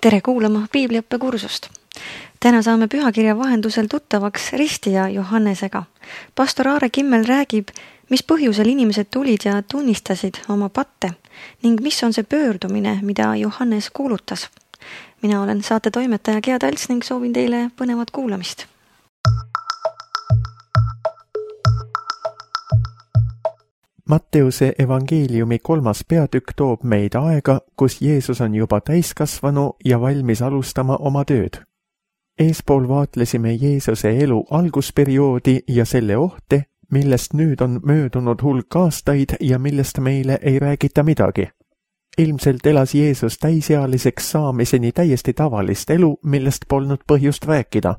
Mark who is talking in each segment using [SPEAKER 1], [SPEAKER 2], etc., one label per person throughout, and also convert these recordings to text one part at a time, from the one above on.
[SPEAKER 1] Tere kuulama piibliõppekursust. Täna saame pühakirja vahendusel tuttavaks ristija Johannesega. Pastor Aare Kimmel räägib, mis põhjusel inimesed tulid ja tunnistasid oma patte ning mis on see pöördumine, mida Johannes kuulutas. Mina olen saate toimetaja Gea Talts ning soovin teile põnevat kuulamist.
[SPEAKER 2] Matteuse evangeeliumi 3. peatükk toob meid aega, kus Jeesus on juba täiskasvanu ja valmis alustama oma tööd. Eespool vaatlesime Jeesuse elu algusperioodi ja selle ohte, millest nüüd on möödunud hulk aastaid ja millest meile ei räägita midagi. Ilmselt elas Jeesus täisealiseks saamiseni täiesti tavalist elu, millest polnud põhjust rääkida.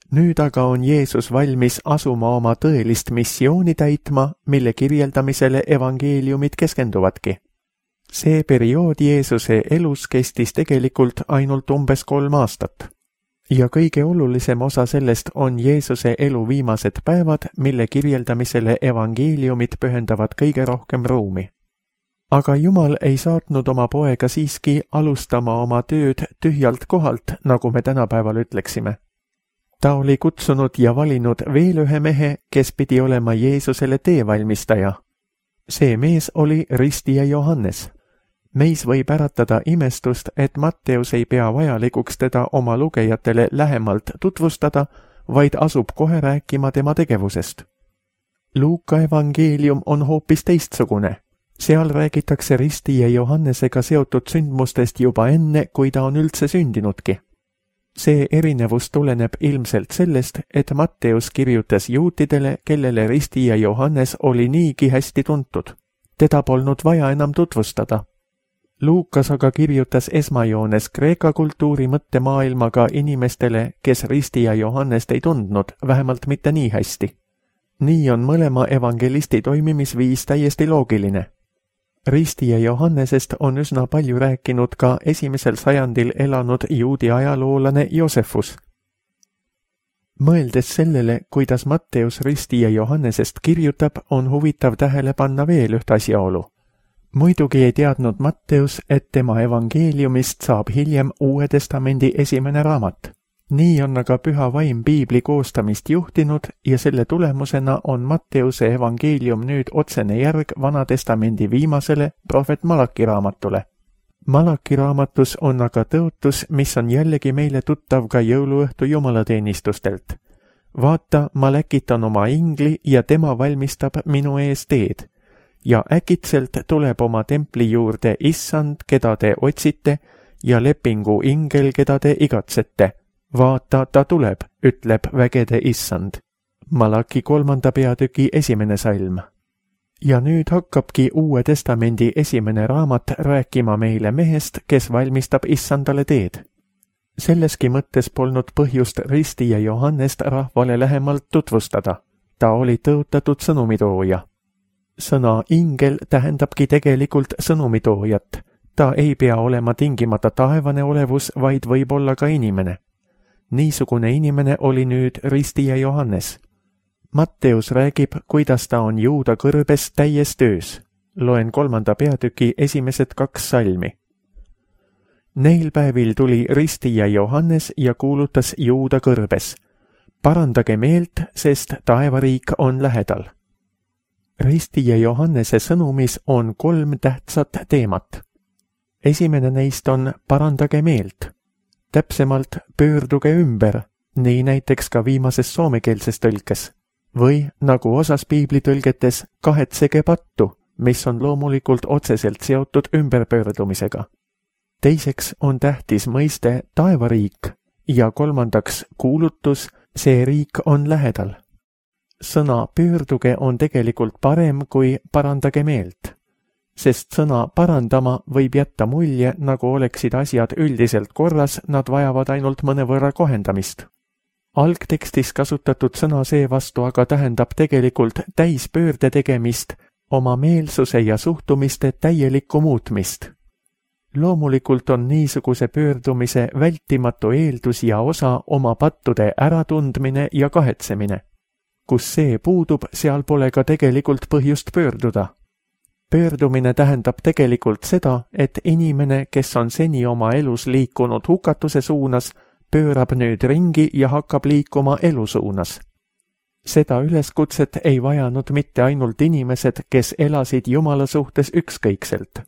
[SPEAKER 2] Nüüd aga on Jeesus valmis asuma oma tõelist missiooni täitma, mille kirjeldamisele evangeeliumid keskenduvadki. See periood Jeesuse elus kestis tegelikult ainult umbes 3 aastat. Ja kõige olulisem osa sellest on Jeesuse elu viimased päevad, mille kirjeldamisele evangeeliumid pühendavad kõige rohkem ruumi. Aga Jumal ei saatnud oma poega siiski alustama oma tööd tühjalt kohalt, nagu me tänapäeval ütleksime. Ta oli kutsunud ja valinud veel ühe mehe, kes pidi olema Jeesusele teevalmistaja. See mees oli ristija Johannes. Meis võib äratada imestust, et Matteus ei pea vajalikuks teda oma lugejatele lähemalt tutvustada, vaid asub kohe rääkima tema tegevusest. Luuka evangeelium on hoopis teistsugune. Seal räägitakse ristija Johannesega seotud sündmustest juba enne, kui ta on üldse sündinudki. See erinevus tuleneb ilmselt sellest, et Matteus kirjutas juutidele, kellele ristija Johannes oli niigi hästi tuntud. Teda polnud vaja enam tutvustada. Luukas aga kirjutas esmajoones Kreeka kultuuri mõttemaailmaga inimestele, kes ristija Johannest ei tundnud, vähemalt mitte nii hästi. Nii on mõlema evangelisti toimimisviis täiesti loogiline. Ristija Johannesest on üsna palju rääkinud ka 1. sajandil elanud juudi ajaloolane Joosefus. Mõeldes sellele, kuidas Matteus ristija Johannesest kirjutab, on huvitav tähele panna veel üht asjaolu. Muidugi ei teadnud Matteus, et tema evangeeliumist saab hiljem Uue Testamendi esimene raamat. Nii on aga püha vaim piibli koostamist juhtinud ja selle tulemusena on Matteuse evangeelium nüüd otsene järg Vana Testamendi viimasele prohvet Malaki raamatule. Malaki raamatus on aga tõotus, mis on jällegi meile tuttav ka jõuluõhtu jumalateenistustelt. Vaata, ma läkitan oma ingli ja tema valmistab minu ees teed. Ja äkitselt tuleb oma templi juurde issand, keda te otsite, ja lepingu ingel, keda te igatsete. Vaata, ta tuleb, ütleb vägede issand. Malaki 3. peatüki 1. salm. Ja nüüd hakkabki Uue Testamendi esimene raamat rääkima meile mehest, kes valmistab issandale teed. Selleski mõttes polnud põhjust ristija Johannest rahvale lähemalt tutvustada. Ta oli tõotatud sõnumitooja. Sõna ingel tähendabki tegelikult sõnumitoojat. Ta ei pea olema tingimata taevane olevus, vaid võib olla ka inimene. Niisugune inimene oli nüüd ristija Johannes. Matteus räägib, kuidas ta on Juuda kõrbes täies töös. Loen 3. peatüki esimesed 2 salmi. Neil päevil tuli ristija Johannes ja kuulutas Juuda kõrbes. Parandage meelt, sest taevariik on lähedal. Ristija Johannese sõnumis on 3 tähtsat teemat. Esimene neist on parandage meelt. Täpsemalt pöörduge ümber, nii näiteks ka viimases soomekeelses tõlkes. Või nagu osas piiblitõlgetes, kahetsege pattu, mis on loomulikult otseselt seotud ümberpöördumisega. Teiseks on tähtis mõiste taevariik ja 3. kuulutus, see riik on lähedal. Sõna pöörduge on tegelikult parem kui parandage meelt. Sest sõna parandama võib jätta mulje, nagu oleksid asjad üldiselt korras, nad vajavad ainult mõnevõrra kohendamist. Algtekstis kasutatud sõna seevastu aga tähendab tegelikult täispöörde tegemist, oma meelsuse ja suhtumiste täielikku muutmist. Loomulikult on niisuguse pöördumise vältimatu eeldus ja osa oma pattude äratundmine ja kahetsemine. Kus see puudub, seal pole ka tegelikult põhjust pöörduda. Pöördumine tähendab tegelikult seda, et inimene, kes on seni oma elus liikunud hukatuse suunas, pöörab nüüd ringi ja hakkab liikuma elu suunas. Seda üleskutset ei vajanud mitte ainult inimesed, kes elasid Jumala suhtes ükskõikselt.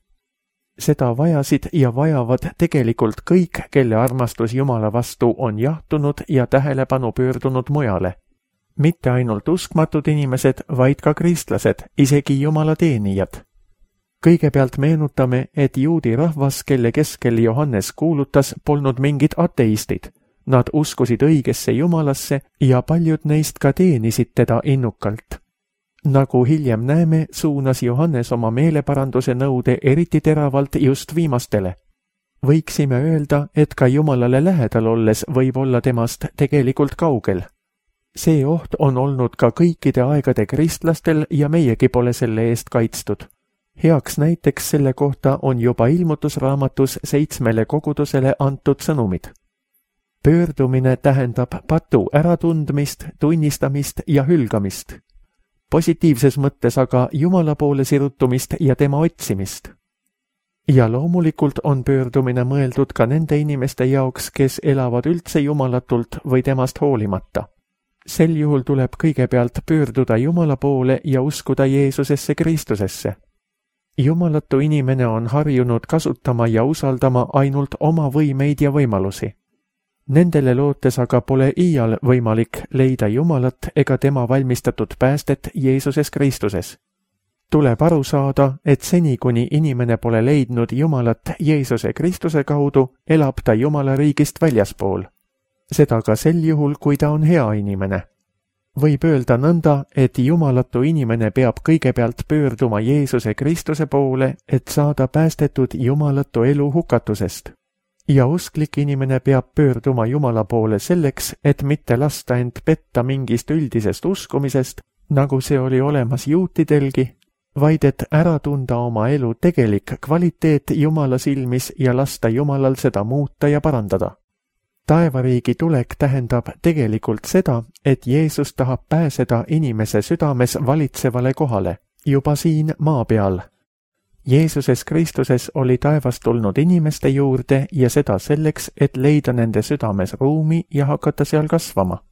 [SPEAKER 2] Seda vajasid ja vajavad tegelikult kõik, kelle armastus Jumala vastu on jahtunud ja tähelepanu pöördunud mujale. Mitte ainult uskmatud inimesed, vaid ka kristlased, isegi Jumala teenijad. Kõigepealt meenutame, et juudi rahvas, kelle keskel Johannes kuulutas, polnud mingid ateistid. Nad uskusid õigesse Jumalasse ja paljud neist ka teenisid teda innukalt. Nagu hiljem näeme, suunas Johannes oma meeleparanduse nõude eriti teravalt just viimastele. Võiksime öelda, et ka Jumalale lähedal olles võib olla temast tegelikult kaugel. See oht on olnud ka kõikide aegade kristlastel ja meiegi pole selle eest kaitstud. Heaks näiteks selle kohta on juba ilmutusraamatus 7 kogudusele antud sõnumid. Pöördumine tähendab patu äratundmist, tunnistamist ja hülgamist. Positiivses mõttes aga Jumala poole sirutumist ja tema otsimist. Ja loomulikult on pöördumine mõeldud ka nende inimeste jaoks, kes elavad üldse jumalatult või temast hoolimata. Sel juhul tuleb kõigepealt pöörduda Jumala poole ja uskuda Jeesusesse Kristusesse. Jumalatu inimene on harjunud kasutama ja usaldama ainult oma võimeid ja võimalusi. Nendele lootes aga pole iial võimalik leida Jumalat ega tema valmistatud päästet Jeesuses Kristuses. Tuleb aru saada, et seni, kuni inimene pole leidnud Jumalat Jeesuse Kristuse kaudu, elab ta Jumala riigist väljaspool. Seda ka sel juhul, kui ta on hea inimene. Võib öelda nõnda, et jumalatu inimene peab kõigepealt pöörduma Jeesuse Kristuse poole, et saada päästetud jumalatu elu hukatusest. Ja usklik inimene peab pöörduma Jumala poole selleks, et mitte lasta end petta mingist üldisest uskumisest, nagu see oli olemas juutidelgi, vaid et ära tunda oma elu tegelik kvaliteet Jumala silmis ja lasta Jumalal seda muuta ja parandada. Taevariigi tulek tähendab tegelikult seda, et Jeesus tahab pääseda inimese südames valitsevale kohale, juba siin maa peal. Jeesuses Kristuses oli taevast tulnud inimeste juurde ja seda selleks, et leida nende südames ruumi ja hakata seal kasvama.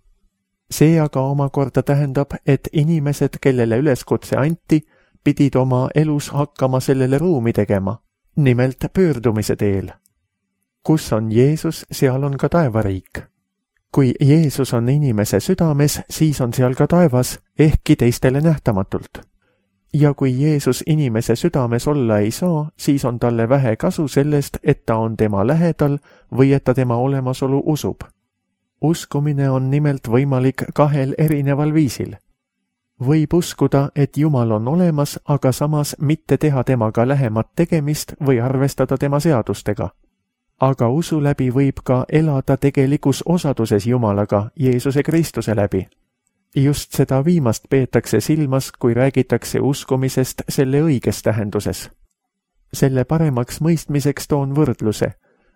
[SPEAKER 2] See aga omakorda tähendab, et inimesed, kellele üleskutse anti, pidid oma elus hakkama sellele ruumi tegema, nimelt pöördumise teel. Kus on Jeesus, seal on ka taevariik. Kui Jeesus on inimese südames, siis on seal ka taevas, ehkki teistele nähtamatult. Ja kui Jeesus inimese südames olla ei saa, siis on talle vähe kasu sellest, et ta on tema lähedal või et ta tema olemasolu usub. Uskumine on nimelt võimalik 2 erineval viisil. Võib uskuda, et Jumal on olemas, aga samas mitte teha temaga lähemat tegemist või arvestada tema seadustega. Aga usu läbi võib ka elada tegelikus osaduses Jumalaga Jeesuse Kristuse läbi. Just seda viimast peetakse silmas, kui räägitakse uskumisest selle õiges tähenduses. Selle paremaks mõistmiseks toon võrdluse.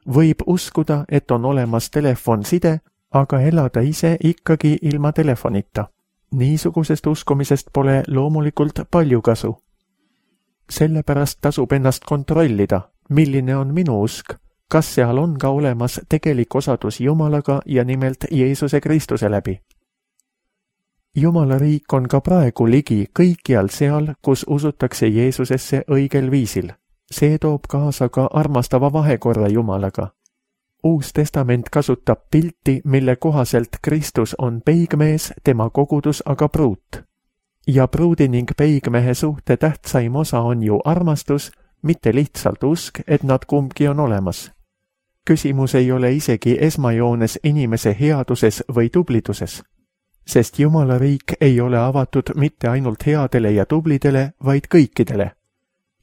[SPEAKER 2] Võib uskuda, et on olemas telefonside, aga elada ise ikkagi ilma telefonita. Niisugusest uskumisest pole loomulikult palju kasu. Sellepärast tasub ennast kontrollida, milline on minu usk, kas seal on ka olemas tegelik osadus Jumalaga ja nimelt Jeesuse Kristuse läbi. Jumala riik on ka praegu ligi kõikjal seal, kus usutakse Jeesusesse õigel viisil. See toob kaasa ka armastava vahekorra Jumalaga. Uus testament kasutab pilti, mille kohaselt Kristus on peigmees, tema kogudus aga pruut. Ja pruudi ning peigmehe suhte tähtsaim osa on ju armastus, mitte lihtsalt usk, et nad kumbki on olemas. Küsimus ei ole isegi esmajoones inimese headuses või tubliduses, sest Jumala riik ei ole avatud mitte ainult headele ja tublidele, vaid kõikidele.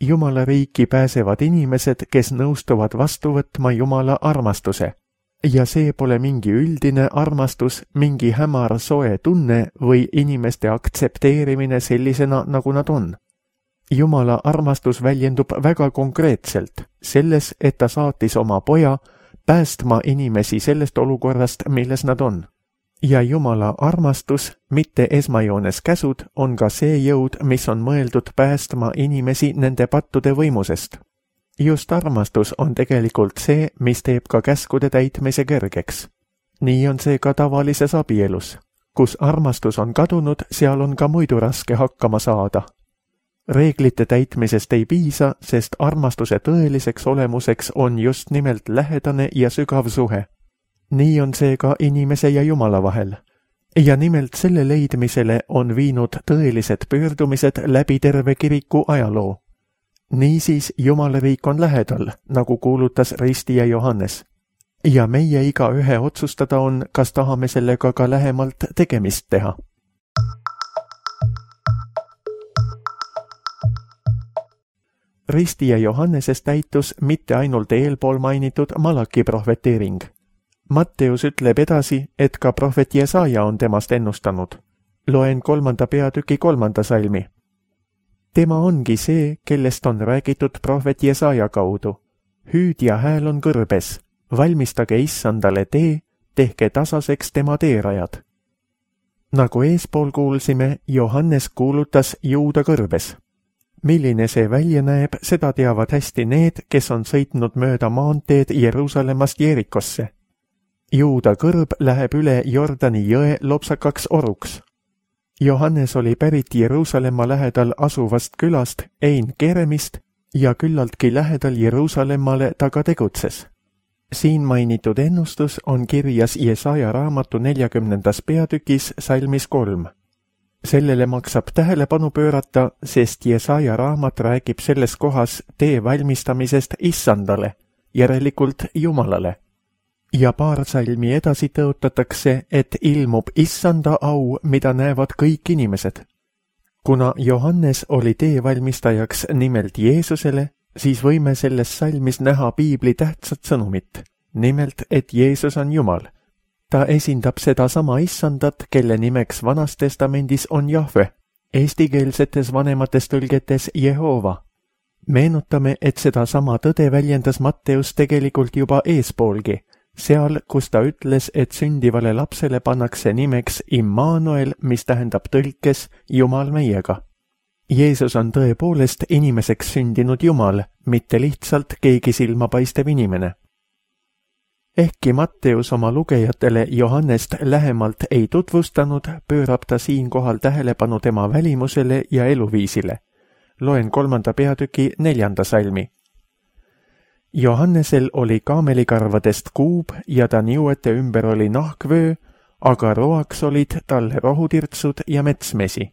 [SPEAKER 2] Jumala riiki pääsevad inimesed, kes nõustuvad vastu võtma Jumala armastuse. Ja see pole mingi üldine armastus, mingi hämar soe tunne või inimeste aktsepteerimine sellisena, nagu nad on. Jumala armastus väljendub väga konkreetselt selles, et ta saatis oma poja päästma inimesi sellest olukorrast, milles nad on. ja Jumala armastus, mitte esmajoones käsud, on ka see jõud, mis on mõeldud päästma inimesi nende pattude võimusest. Just armastus on tegelikult see, mis teeb ka käskude täitmise kergeks. Nii on see ka tavalises abielus. Kus armastus on kadunud, seal on ka muidu raske hakkama saada. Reeglite täitmisest ei piisa, sest armastuse tõeliseks olemuseks on just nimelt lähedane ja sügav suhe. Nii on see ka inimese ja Jumala vahel. Ja nimelt selle leidmisele on viinud tõelised pöördumised läbi terve kiriku ajaloo. Niisiis Jumala riik on lähedal, nagu kuulutas ristija Johannes. Ja meie igaühe otsustada on, kas tahame sellega ka lähemalt tegemist teha. Ristija Johannesest täitus mitte ainult eelpool mainitud Malaki prohveteering. Matteus ütleb edasi, et ka prohvet Jesaja on temast ennustanud. Loen 3. peatüki 3. salmi. Tema ongi see, kellest on räägitud prohvet Jesaja kaudu. Hüüdja hääl on kõrbes, valmistage issandale tee, tehke tasaseks tema teerajad. Nagu eespool kuulsime, Johannes kuulutas Juuda kõrbes. Milline see välja näeb, seda teavad hästi need, kes on sõitnud mööda maanteed Jeruusalemmast Jerikosse. Juuda kõrb läheb üle Jordani jõe lopsakaks oruks. Johannes oli pärit Jeruusalemma lähedal asuvast külast Ein Keremist ja küllaltki lähedal Jeruusalemmale ta ka tegutses. Siin mainitud ennustus on kirjas Jesaja raamatu 40. peatükis salmis 3. Sellele maksab tähelepanu pöörata, sest Jesaja raamat räägib selles kohas tee valmistamisest issandale, järelikult Jumalale. Ja paar salmi edasi tõotatakse, et ilmub issanda au, mida näevad kõik inimesed. Kuna Johannes oli teevalmistajaks nimelt Jeesusele, siis võime selles salmis näha piibli tähtsat sõnumit, nimelt, et Jeesus on Jumal. Ta esindab seda sama issandat, kelle nimeks Vanas Testamendis on Jahve, eestikeelsetes vanemates tõlgetes Jehova. Meenutame, et seda sama tõde väljendas Matteus tegelikult juba eespoolgi, seal, kus ta ütles, et sündivale lapsele pannakse nimeks Immanuel, mis tähendab tõlkes Jumal meiega. Jeesus on tõepoolest inimeseks sündinud Jumal, mitte lihtsalt keegi silmapaistev inimene. Ehkki Matteus oma lugejatele Johannest lähemalt ei tutvustanud, pöörab ta siinkohal tähelepanu tema välimusele ja eluviisile. Loen 3. peatüki 4. salmi. Johannesel oli kaamelikarvadest kuub ja ta niuete ümber oli nahkvöö, aga roaks olid talle rohutirtsud ja metsmesi.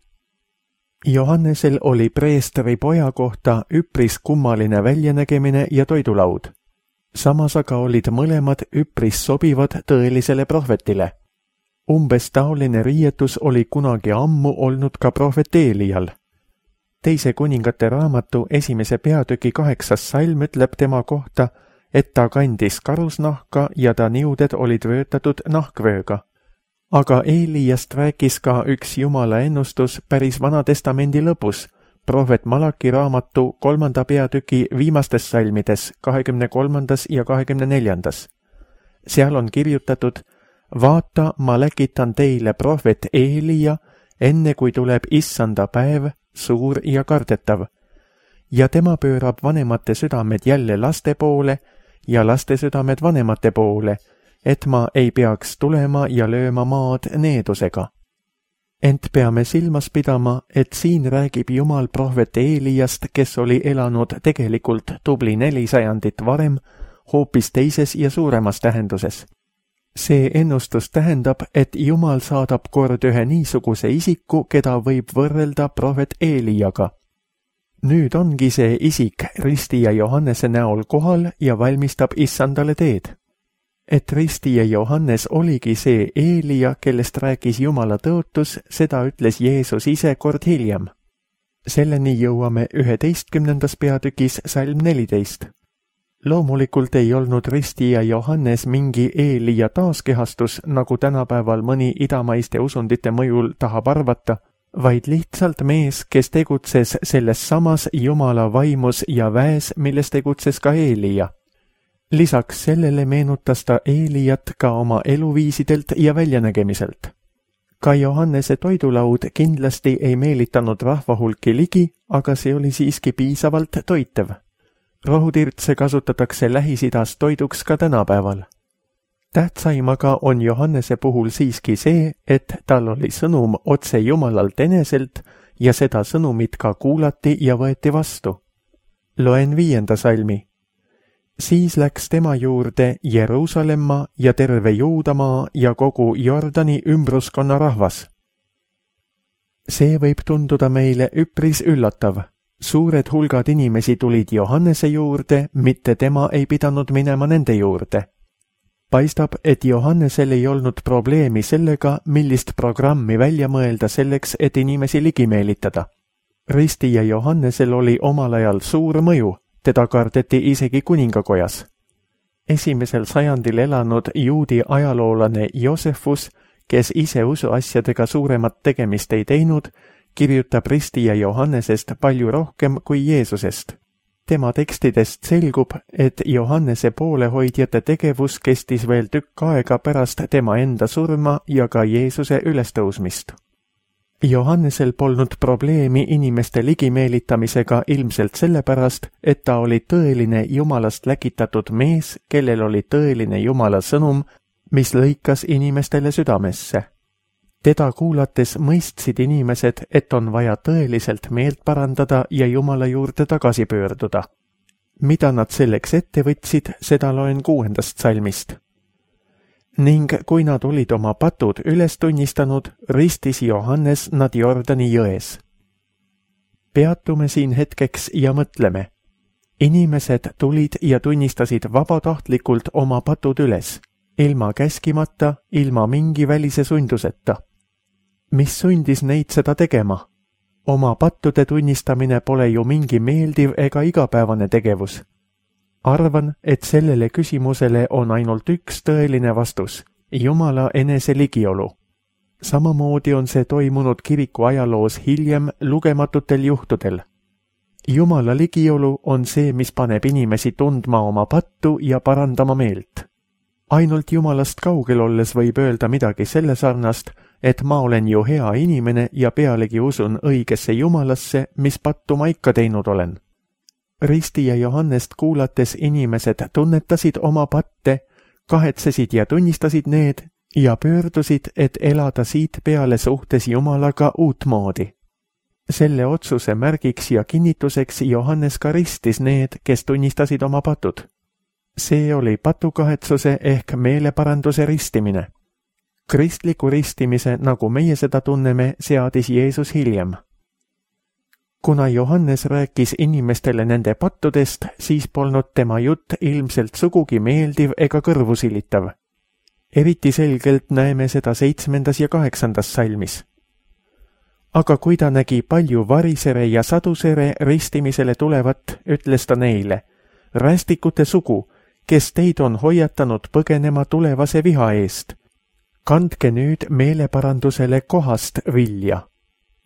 [SPEAKER 2] Johannesel oli preestri poja kohta üpris kummaline väljanägemine ja toidulaud. Samas aga olid mõlemad üpris sobivad tõelisele prohvetile. Umbes taoline riietus oli kunagi ammu olnud ka prohvet Eelial. Teise kuningate raamatu 1. peatüki 8. salm ütleb tema kohta, et ta kandis karusnahka ja ta niuded olid vöötatud nahkvööga. Aga Eeliast rääkis ka üks Jumala ennustus päris Vana Testamendi lõpus, prohvet Malaki raamatu 3. peatüki viimastes salmides 23. ja 24. Seal on kirjutatud, vaata, ma läkitan teile prohvet Eelia, enne kui tuleb issanda päev, suur ja kardetav, ja tema pöörab vanemate südamed jälle laste poole ja laste südamed vanemate poole, et ma ei peaks tulema ja lööma maad needusega. Ent peame silmas pidama, et siin räägib Jumal prohvet Eeliast, kes oli elanud tegelikult tubli 400 varem, hoopis teises ja suuremas tähenduses. See ennustus tähendab, et Jumal saadab kord ühe niisuguse isiku, keda võib võrrelda prohvet Eeliaga. Nüüd ongi see isik ristija Johannese näol kohal ja valmistab issandale teed. Et ristija Johannes oligi see Eelia, kellest rääkis Jumala tõotus, seda ütles Jeesus ise kord hiljem. Selleni jõuame 11. peatükis salm 14. Loomulikult ei olnud ristija Johannes mingi Eelia taaskehastus, nagu tänapäeval mõni idamaiste usundite mõjul tahab arvata, vaid lihtsalt mees, kes tegutses selles samas Jumala vaimus ja väes, milles tegutses ka Eelia. Lisaks sellele meenutas ta Eeliat ka oma eluviisidelt ja väljanägemiselt. Ka Johannese toidulaud kindlasti ei meelitanud rahvahulki ligi, aga see oli siiski piisavalt toitev. Rohutirtse kasutatakse Lähis-Idas toiduks ka tänapäeval. Tähtsaim aga on Johannese puhul siiski see, et tal oli sõnum otse Jumalalt eneselt ja seda sõnumit ka kuulati ja võeti vastu. Loen 5. salmi. Siis läks tema juurde Jeruusalemma ja terve Juudamaa ja kogu Jordani ümbruskonna rahvas. See võib tunduda meile üpris üllatav. Suured hulgad inimesi tulid Johannese juurde, mitte tema ei pidanud minema nende juurde. Paistab, et Johannesel ei olnud probleemi sellega, millist programmi välja mõelda selleks, et inimesi ligi meelitada. Ristija Johannesel oli omal ajal suur mõju, teda kardeti isegi kuningakojas. 1. sajandil elanud juudi ajaloolane Joosefus, kes ise usuasjadega suuremat tegemist ei teinud, kirjutab Ristija Johannesest palju rohkem kui Jeesusest. Tema tekstidest selgub, et Johannese poolehoidjate tegevus kestis veel tükk aega pärast tema enda surma ja ka Jeesuse ülestõusmist. Johannesel polnud probleemi inimeste ligimeelitamisega ilmselt sellepärast, et ta oli tõeline Jumalast läkitatud mees, kellel oli tõeline Jumala sõnum, mis lõikas inimestele südamesse. Teda kuulates mõistsid inimesed, et on vaja tõeliselt meelt parandada ja Jumala juurde tagasi pöörduda. Mida nad selleks ette võtsid, seda loen 6. salmist. Ning kui nad olid oma patud üles tunnistanud, ristis Johannes nad Jordani jões. Peatume siin hetkeks ja mõtleme. Inimesed tulid ja tunnistasid vabatahtlikult oma patud üles, ilma käskimata, ilma mingi välise sunduseta. Mis sundis neid seda tegema? Oma pattude tunnistamine pole ju mingi meeldiv ega igapäevane tegevus. Arvan, et sellele küsimusele on ainult üks tõeline vastus, Jumala enese ligiolu. Samamoodi on see toimunud kiriku ajaloos hiljem lugematutel juhtudel. Jumala ligiolu on see, mis paneb inimesi tundma oma pattu ja parandama meelt. Ainult Jumalast kaugel olles võib öelda midagi selle sarnast, et ma olen ju hea inimene ja pealegi usun õigesse Jumalasse, mis pattu ma ikka teinud olen. Ristija Johannest kuulates inimesed tunnetasid oma patte, kahetsesid ja tunnistasid need ja pöördusid, et elada siit peale suhtes Jumalaga uutmoodi. Selle otsuse märgiks ja kinnituseks Johannes ka ristis need, kes tunnistasid oma patud. See oli patukahetsuse ehk meeleparanduse ristimine. Kristliku ristimise, nagu meie seda tunneme, seadis Jeesus hiljem. Kuna Johannes rääkis inimestele nende pattudest, siis polnud tema jutt ilmselt sugugi meeldiv ega kõrvusilitav. Eriti selgelt näeme seda 7. ja 8. salmis. Aga kui ta nägi palju varisere ja sadusere ristimisele tulevat, ütles ta neile, rästikute sugu, kes teid on hoiatanud põgenema tulevase viha eest. Kandke nüüd meeleparandusele kohast vilja.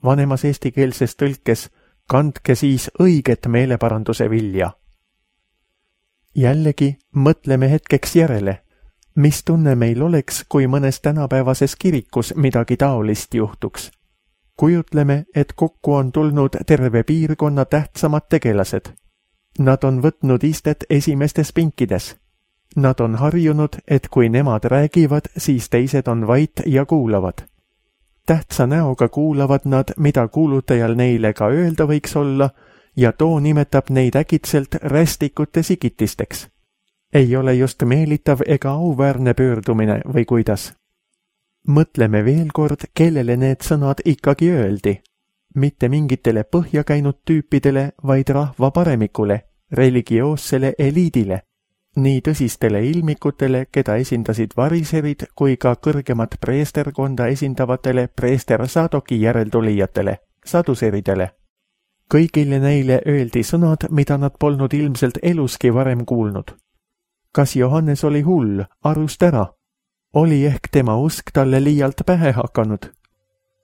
[SPEAKER 2] Vanemas eestikeelses tõlkes kandke siis õiget meeleparanduse vilja. Jällegi mõtleme hetkeks järele, mis tunne meil oleks, kui mõnes tänapäevases kirikus midagi taolist juhtuks. Kujutleme, et kokku on tulnud terve piirkonna tähtsamad tegelased. Nad on võtnud istet esimestes pinkides. Nad on harjunud, et kui nemad räägivad, siis teised on vait ja kuulavad. Tähtsa näoga kuulavad nad, mida kuulutajal neile ka öelda võiks olla, ja too nimetab neid äkitselt rästikute sigitisteks. Ei ole just meelitav ega auväärne pöördumine või kuidas. Mõtleme veel kord, kellele need sõnad ikkagi öeldi. Mitte mingitele põhja käinud tüüpidele, vaid rahva paremikule, religioossele eliidile. Nii tõsistele ilmikutele, keda esindasid variserid, kui ka kõrgemat preesterkonda esindavatele preester Sadoki järeltulijatele, saduseridele. Kõigile neile öeldi sõnad, mida nad polnud ilmselt eluski varem kuulnud. Kas Johannes oli hull, arust ära? Oli ehk tema usk talle liialt pähe hakanud?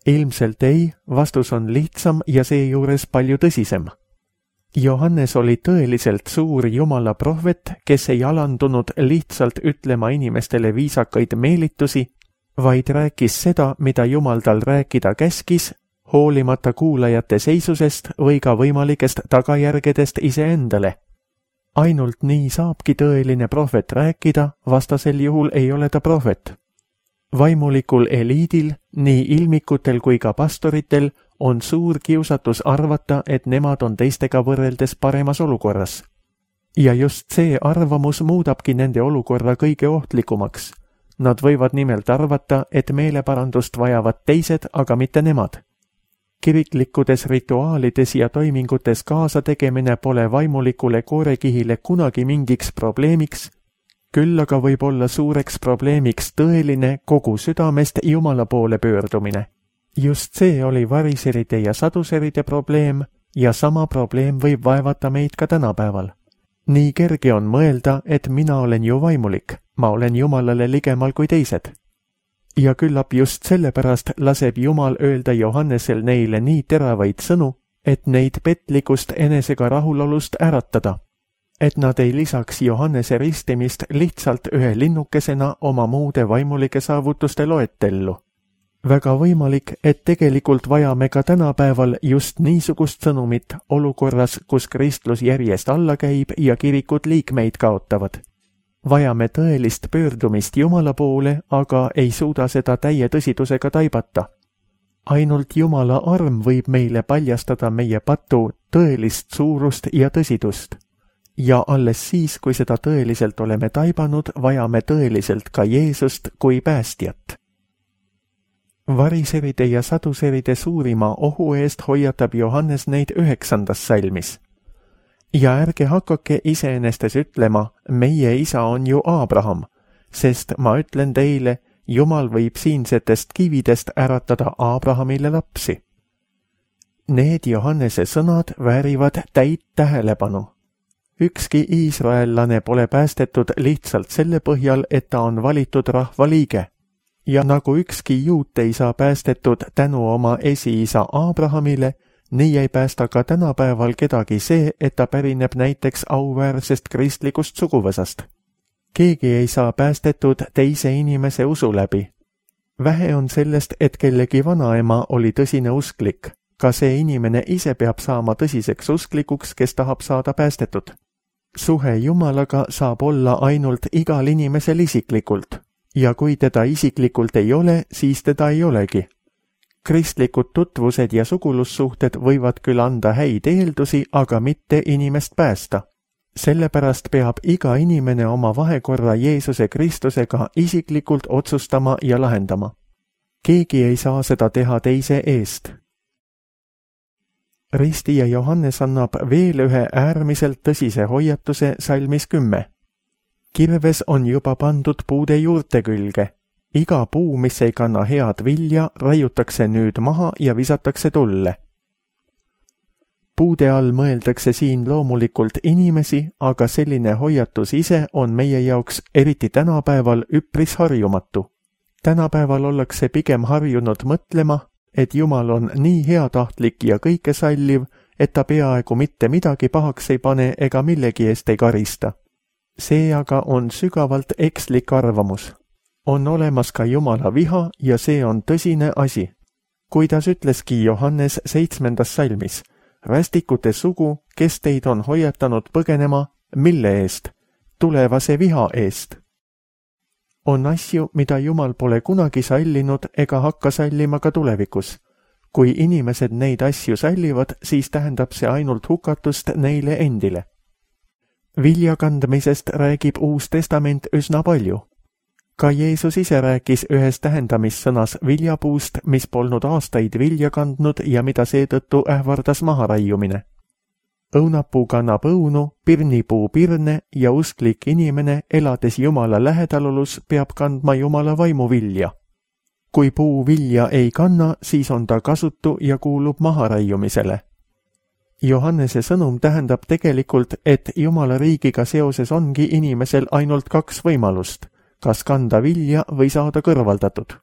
[SPEAKER 2] Ilmselt ei, vastus on lihtsam ja seejuures palju tõsisem. Johannes oli tõeliselt suur Jumala prohvet, kes ei alandunud lihtsalt ütlema inimestele viisakaid meelitusi, vaid rääkis seda, mida Jumal tal rääkida käskis, hoolimata kuulajate seisusest või ka võimalikest tagajärgedest iseendale. Ainult nii saabki tõeline prohvet rääkida, vastasel juhul ei ole ta prohvet. Vaimulikul eliidil, nii ilmikutel kui ka pastoritel, on suur kiusatus arvata, et nemad on teistega võrreldes paremas olukorras. Ja just see arvamus muudabki nende olukorra kõige ohtlikumaks. Nad võivad nimelt arvata, et meeleparandust vajavad teised, aga mitte nemad. Kiriklikkudes rituaalides ja toimingutes kaasategemine pole vaimulikule koorekihile kunagi mingiks probleemiks, küll aga võib olla suureks probleemiks tõeline kogu südamest Jumala poole pöördumine. Just see oli variseride ja saduseride probleem ja sama probleem võib vaevata meid ka tänapäeval. Nii kerge on mõelda, et mina olen ju vaimulik, ma olen Jumalale ligemal kui teised. Ja küllap just sellepärast laseb Jumal öelda Johannesel neile nii teravaid sõnu, et neid petlikust enesega rahulolust äratada. Et nad ei lisaks Johannese ristimist lihtsalt ühe linnukesena oma muude vaimulike saavutuste loetellu. Väga võimalik, et tegelikult vajame ka tänapäeval just niisugust sõnumit olukorras, kus kristlus järjest alla käib ja kirikud liikmeid kaotavad. Vajame tõelist pöördumist Jumala poole, aga ei suuda seda täie tõsidusega taibata. Ainult Jumala arm võib meile paljastada meie patu tõelist suurust ja tõsidust. Ja alles siis, kui seda tõeliselt oleme taibanud, vajame tõeliselt ka Jeesust kui päästjat. Variseride ja saduseride suurima ohu eest hoiatab Johannes neid 9. salmis. Ja ärge hakake iseenestes ütlema, meie isa on ju Abraham, sest ma ütlen teile, Jumal võib siinsetest kividest äratada Abrahamile lapsi. Need Johannese sõnad väärivad täit tähelepanu. Ükski iisraellane pole päästetud lihtsalt selle põhjal, et ta on valitud rahva liige. Ja nagu ükski juut ei saa päästetud tänu oma esiisa Abrahamile, nii ei päästa ka tänapäeval kedagi see, et ta pärineb näiteks auväärsest kristlikust suguvõsast. Keegi ei saa päästetud teise inimese usu läbi. Vähe on sellest, et kellegi vanaema oli tõsine usklik. Ka see inimene ise peab saama tõsiseks usklikuks, kes tahab saada päästetud. Suhe Jumalaga saab olla ainult igal inimesel isiklikult. Ja kui teda isiklikult ei ole, siis teda ei olegi. Kristlikud tutvused ja sugulussuhted võivad küll anda häid eeldusi, aga mitte inimest päästa. Sellepärast peab iga inimene oma vahekorra Jeesuse Kristusega isiklikult otsustama ja lahendama. Keegi ei saa seda teha teise eest. Ristija Johannes annab veel ühe äärmiselt tõsise hoiatuse salmis 10. Kirves on juba pandud puude juurte külge. Iga puu, mis ei kanna head vilja, raiutakse nüüd maha ja visatakse tulle. Puude all mõeldakse siin loomulikult inimesi, aga selline hoiatus ise on meie jaoks eriti tänapäeval üpris harjumatu. Tänapäeval ollakse pigem harjunud mõtlema, et Jumal on nii heatahtlik ja kõike salliv, et ta peaaegu mitte midagi pahaks ei pane ega millegi eest ei karista. See aga on sügavalt ekslik arvamus. On olemas ka Jumala viha ja see on tõsine asi. Kuidas ütleski Johannes 7. salmis, rästikute sugu, kes teid on hoiatanud põgenema, mille eest? Tulevase viha eest. On asju, mida Jumal pole kunagi sallinud ega hakka sallima ka tulevikus. Kui inimesed neid asju sallivad, siis tähendab see ainult hukatust neile endile. Viljakandmisest räägib Uus Testament üsna palju. Ka Jeesus ise rääkis ühes tähendamissõnas viljapuust, mis polnud aastaid vilja kandnud ja mida seetõttu ähvardas maharaiumine. Õunapuu kannab õunu, pirnipuu pirne ja usklik inimene, elades Jumala lähedalolus, peab kandma Jumala vaimu vilja. Kui puu vilja ei kanna, siis on ta kasutu ja kuulub maharaiumisele. Johannese sõnum tähendab tegelikult, et Jumala riigiga seoses ongi inimesel ainult 2 võimalust, kas kanda vilja või saada kõrvaldatud.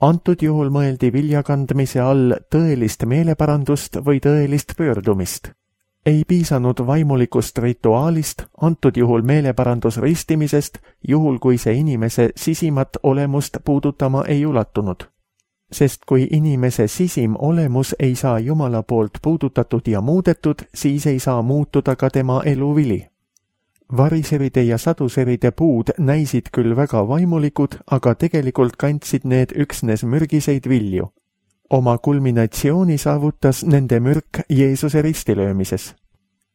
[SPEAKER 2] Antud juhul mõeldi viljakandmise all tõelist meeleparandust või tõelist pöördumist. Ei piisanud vaimulikust rituaalist, antud juhul meeleparandusristimisest, juhul kui see inimese sisimat olemust puudutama ei ulatunud. Sest kui inimese sisim olemus ei saa Jumala poolt puudutatud ja muudetud, siis ei saa muutuda ka tema eluvili. Variseride ja saduseride puud näisid küll väga vaimulikud, aga tegelikult kandsid need üksnes mürgiseid vilju. Oma kulminatsiooni saavutas nende mürk Jeesuse ristilöömises.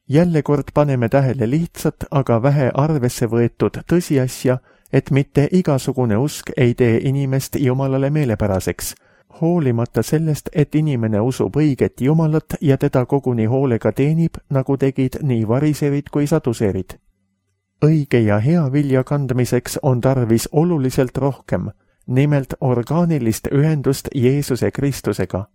[SPEAKER 2] Jälle kord paneme tähele lihtsat, aga vähe arvesse võetud tõsiasja, et mitte igasugune usk ei tee inimest Jumalale meelepäraseks, hoolimata sellest, et inimene usub õiget Jumalat ja teda koguni hoolega teenib, nagu tegid nii variserid kui saduserid. Õige ja hea vilja kandmiseks on tarvis oluliselt rohkem, nimelt orgaanilist ühendust Jeesuse Kristusega.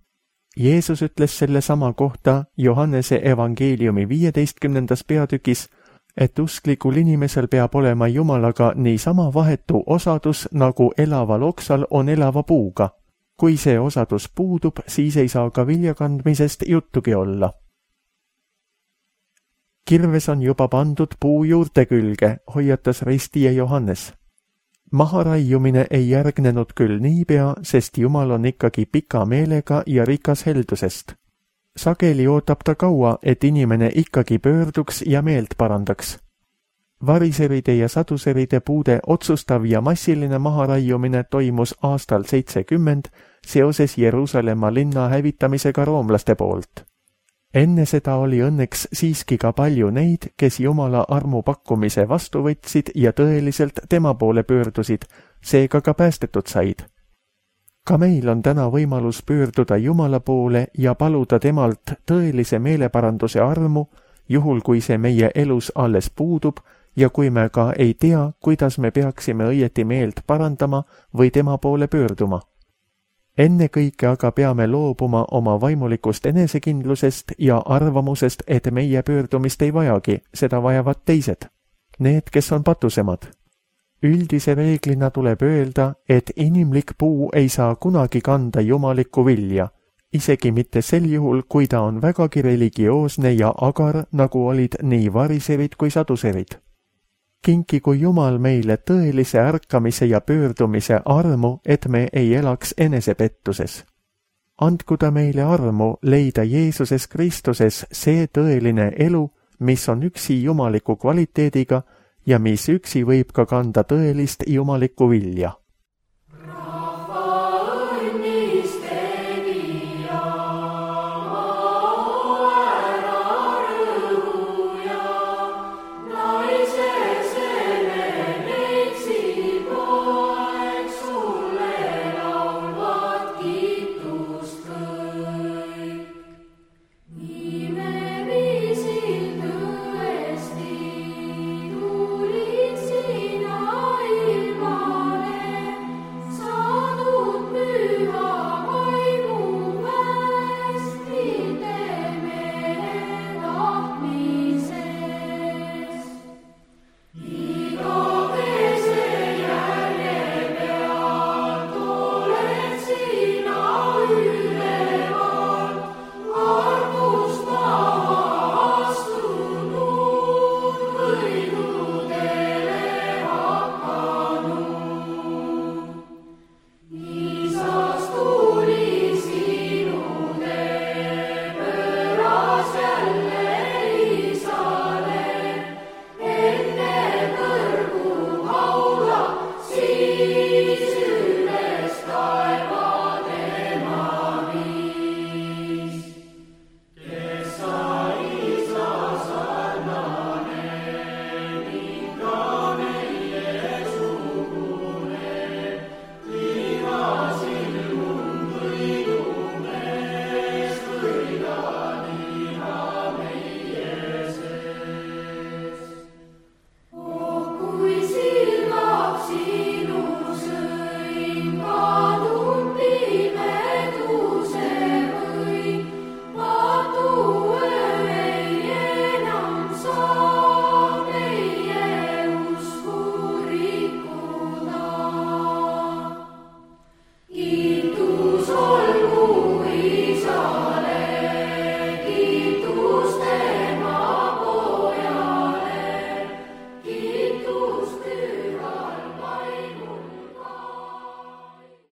[SPEAKER 2] Jeesus ütles selle sama kohta Johannese evangeeliumi 15. peatükis, et usklikul inimesel peab olema Jumalaga niisama vahetu osadus, nagu elaval oksal on elava puuga. Kui see osadus puudub, siis ei saa ka vilja kandmisest juttugi olla. Kirves on juba pandud puu juurte külge, hoiatas ristija Johannes. Maharaiumine ei järgnenud küll niipea, sest Jumal on ikkagi pika meelega ja rikas heldusest. Sageli ootab ta kaua, et inimene ikkagi pöörduks ja meelt parandaks. Variseride ja saduseride puude otsustav ja massiline maharaiumine toimus aastal 70 seoses Jeruusalemma linna hävitamisega roomlaste poolt. Enne seda oli õnneks siiski ka palju neid, kes Jumala armu pakkumise vastu võtsid ja tõeliselt tema poole pöördusid, seega ka päästetud said. Ka meil on täna võimalus pöörduda Jumala poole ja paluda temalt tõelise meeleparanduse armu, juhul kui see meie elus alles puudub ja kui me ka ei tea, kuidas me peaksime õieti meelt parandama või tema poole pöörduma. Ennekõike aga peame loobuma oma vaimulikust enesekindlusest ja arvamusest, et meie pöördumist ei vajagi, seda vajavad teised, need, kes on patusemad. Üldise reeglina tuleb öelda, et inimlik puu ei saa kunagi kanda jumalikku vilja, isegi mitte sel juhul, kui ta on vägagi religioosne ja agar, nagu olid nii variserid kui saduserid. Kinkigu Jumal meile tõelise ärkamise ja pöördumise armu, et me ei elaks enesepettuses. Andku ta meile armu leida Jeesuses Kristuses see tõeline elu, mis on üksi jumaliku kvaliteediga ja mis üksi võib ka kanda tõelist jumalikku vilja.